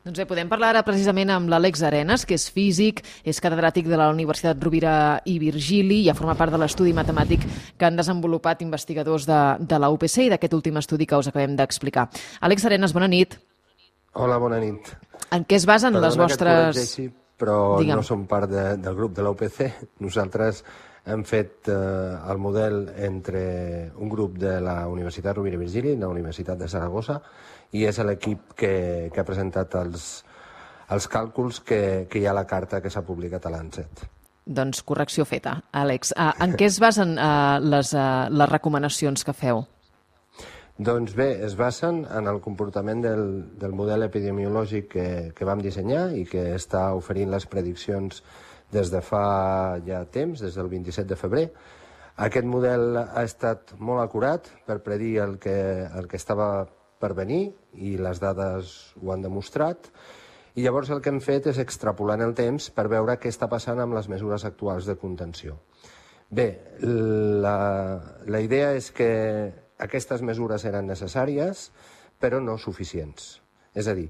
Doncs bé, podem parlar ara precisament amb l'Àlex Arenas, que és físic, és catedràtic de la Universitat Rovira i Virgili i ja forma part de l'estudi matemàtic que han desenvolupat investigadors de la UPC i d'aquest últim estudi que us acabem d'explicar. Àlex Arenas, bona nit. Hola, bona nit. En què es basen les vostres... Perdona que et corregeixi, però no som part del grup de la UPC. Nosaltres hem fet el model entre un grup de la Universitat Rovira i Virgili i la Universitat de Saragossa i és l'equip que ha presentat els càlculs que hi ha a la carta que s'ha publicat a l'ANSET. Doncs correcció feta, Àlex. En què es basen les recomanacions que feu? Doncs bé, es basen en el comportament del model epidemiològic que vam dissenyar i que està oferint les prediccions des de fa ja temps, des del 27 de febrer. Aquest model ha estat molt acurat per predir el que estava per venir i les dades ho han demostrat. I llavors el que hem fet és extrapolar en el temps per veure què està passant amb les mesures actuals de contenció. Bé, la idea és que aquestes mesures eren necessàries, però no suficients. És a dir,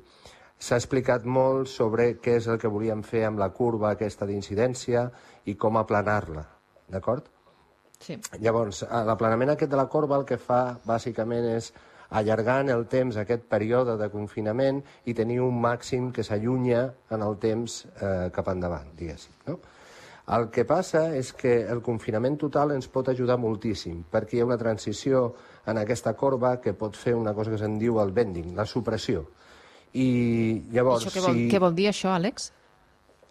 s'ha explicat molt sobre què és el que volíem fer amb la curva aquesta d'incidència i com aplanar-la, d'acord? Sí. Llavors, l'aplanament aquest de la corba el que fa bàsicament és allargar en el temps aquest període de confinament i tenir un màxim que s'allunya en el temps cap endavant, diguéssim, no? El que passa és que el confinament total ens pot ajudar moltíssim, perquè hi ha una transició en aquesta corba que pot fer una cosa que se'n diu el bending, la supressió. I llavors, què vol dir això, Àlex?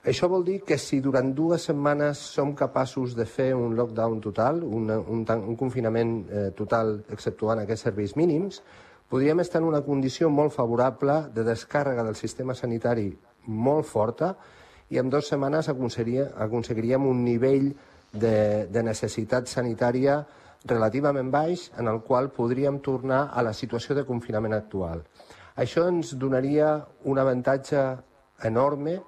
Això vol dir que si durant 2 setmanes som capaços de fer un lockdown total, un confinament total exceptuant aquests serveis mínims, podríem estar en una condició molt favorable de descàrrega del sistema sanitari molt forta i en 2 setmanes aconseguiríem un nivell de necessitat sanitària relativament baix en el qual podríem tornar a la situació de confinament actual. Això ens donaria un avantatge enorme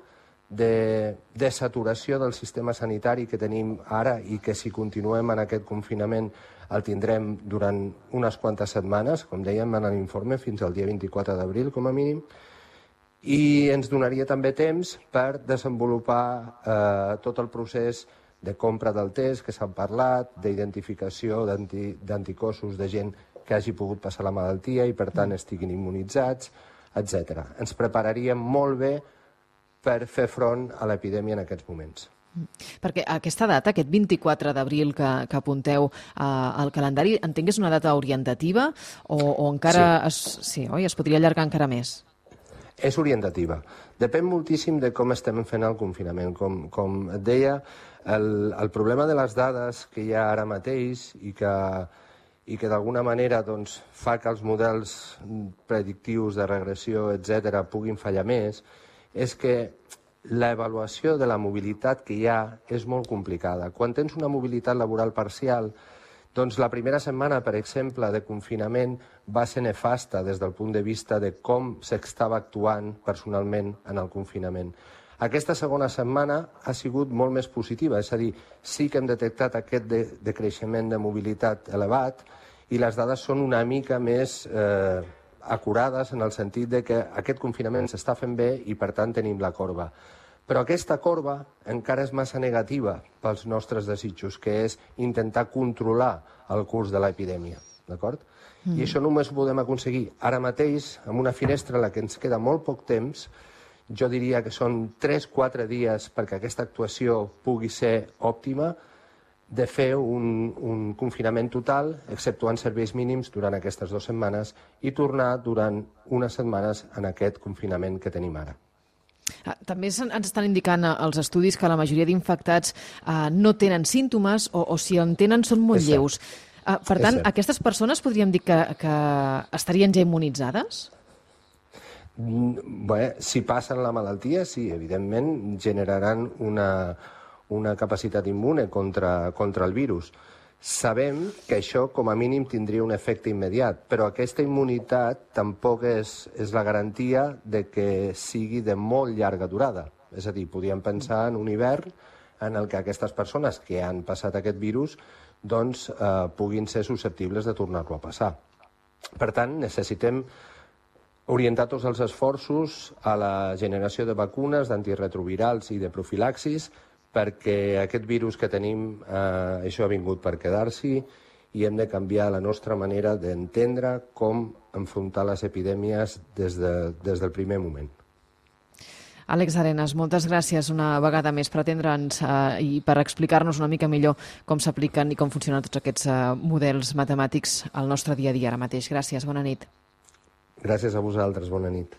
de saturació del sistema sanitari que tenim ara i que si continuem en aquest confinament el tindrem durant unes quantes setmanes, com dèiem en l'informe, fins al dia 24 d'abril com a mínim, i ens donaria també temps per desenvolupar tot el procés de compra del test que s'ha parlat, d'identificació d'anticossos de gent que hagi pogut passar la malaltia i per tant estiguin immunitzats, etc. Ens prepararíem molt bé per fer front a l'epidèmia en aquests moments. Perquè aquesta data, aquest 24 d'abril que apunteu al calendari, entenc que és una data orientativa o encara sí, oi? Es podria allargar encara més? És orientativa. Depèn moltíssim de com estem fent el confinament. Com et deia, el problema de les dades que hi ha ara mateix i que d'alguna manera doncs, fa que els models predictius de regressió, etc., puguin fallar més, és que l'avaluació de la mobilitat que hi ha és molt complicada. Quan tens una mobilitat laboral parcial, doncs la primera setmana, per exemple, de confinament va ser nefasta des del punt de vista de com s'estava actuant personalment en el confinament. Aquesta segona setmana ha sigut molt més positiva, és a dir, sí que hem detectat aquest decreixement de mobilitat elevat i les dades són una mica més acurades en el sentit de que aquest confinament s'està fent bé i per tant tenim la corba. Però aquesta corba encara és massa negativa pels nostres desitjos, que és intentar controlar el curs de l'epidèmia, d'acord? I això només ho podem aconseguir ara mateix, amb una finestra en la que ens queda molt poc temps. Jo diria que són 3-4 dies perquè aquesta actuació pugui ser òptima, de fer un confinament total, exceptuant serveis mínims durant aquestes 2 setmanes i tornar durant unes setmanes en aquest confinament que tenim ara. També ens estan indicant els estudis que la majoria d'infectats no tenen símptomes o si en tenen són molt lleus. Per tant, aquestes persones podríem dir que estarien ja immunitzades? Bé, si passen la malaltia, sí, evidentment generaran una capacitat immune contra el virus. Sabem que això, com a mínim, tindria un efecte immediat, però aquesta immunitat tampoc és la garantia de que sigui de molt llarga durada. És a dir, podríem pensar en un hivern en el que aquestes persones que han passat aquest virus doncs, puguin ser susceptibles de tornar-lo a passar. Per tant, necessitem orientar tots els esforços a la generació de vacunes, d'antiretrovirals i de profilaxis, perquè aquest virus que tenim, això ha vingut per quedar-s'hi i hem de canviar la nostra manera d'entendre com enfrontar les epidèmies des del primer moment. Àlex Arenas, moltes gràcies una vegada més per atendre'ns i per explicar-nos una mica millor com s'apliquen i com funcionen tots aquests models matemàtics al nostre dia a dia ara mateix. Gràcies, bona nit. Gràcies a vosaltres, bona nit.